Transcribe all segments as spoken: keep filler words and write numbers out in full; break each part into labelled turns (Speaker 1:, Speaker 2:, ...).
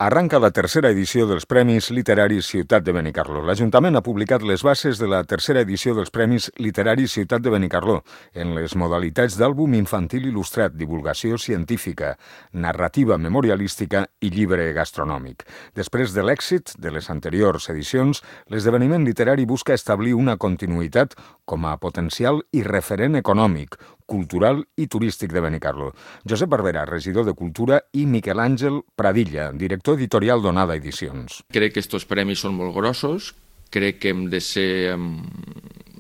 Speaker 1: Arranca la tercera edició dels Premis Literaris Ciutat de Benicarló. L'Ajuntament ha publicat les bases de la tercera edició dels Premis Literaris Ciutat de Benicarló en les modalitats d'àlbum infantil il·lustrat, divulgació científica, narrativa memorialística i llibre gastronòmic. Després de l'èxit de les anteriors edicions, l'esdeveniment literari busca establir una continuïtat com a potencial i referent econòmic, cultural i turístic de Benicarló. Josep Barberà, regidor de Cultura, i Miquel Àngel Pradilla, director editorial d'Onada Edicions.
Speaker 2: Crec que estos premis són molt grossos, crec que hem de ser...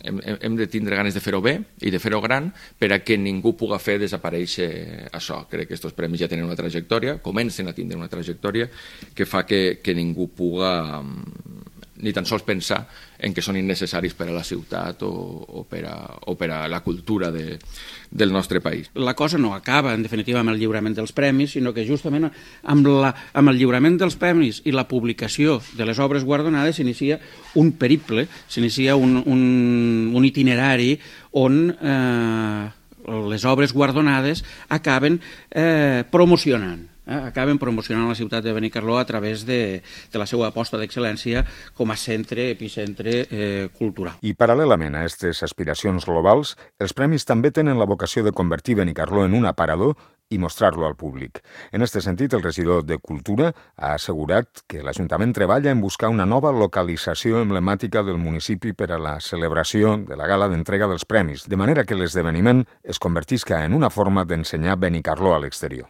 Speaker 2: Hem, hem de tindre ganes de fer-ho bé i de fer-ho gran per a que ningú puga fer desaparèixer això. Crec que aquests premis ja tenen una trajectòria, comencen a tindre una trajectòria que fa que, que ningú puga ni tan sols pensar en que són innecessaris per a la ciutat o, o, per, a, o per a la cultura de, del nostre país.
Speaker 3: La cosa no acaba, en definitiva, amb el lliurament dels premis, sinó que justament amb, la, amb el lliurament dels premis i la publicació de les obres guardonades s'inicia un periple, s'inicia un, un, un itinerari on eh, les obres guardonades acaben eh, promocionant. Eh, acaben promocionant la ciutat de Benicarló a través de, de la seva aposta d'excel·lència com a centre, epicentre eh, cultural.
Speaker 1: I paral·lelament a aquestes aspiracions globals, els premis també tenen la vocació de convertir Benicarló en un aparador i mostrar-lo al públic. En aquest sentit, el regidor de Cultura ha assegurat que l'Ajuntament treballa en buscar una nova localització emblemàtica del municipi per a la celebració de la gala d'entrega dels premis, de manera que l'esdeveniment es convertisca en una forma d'ensenyar Benicarló a l'exterior.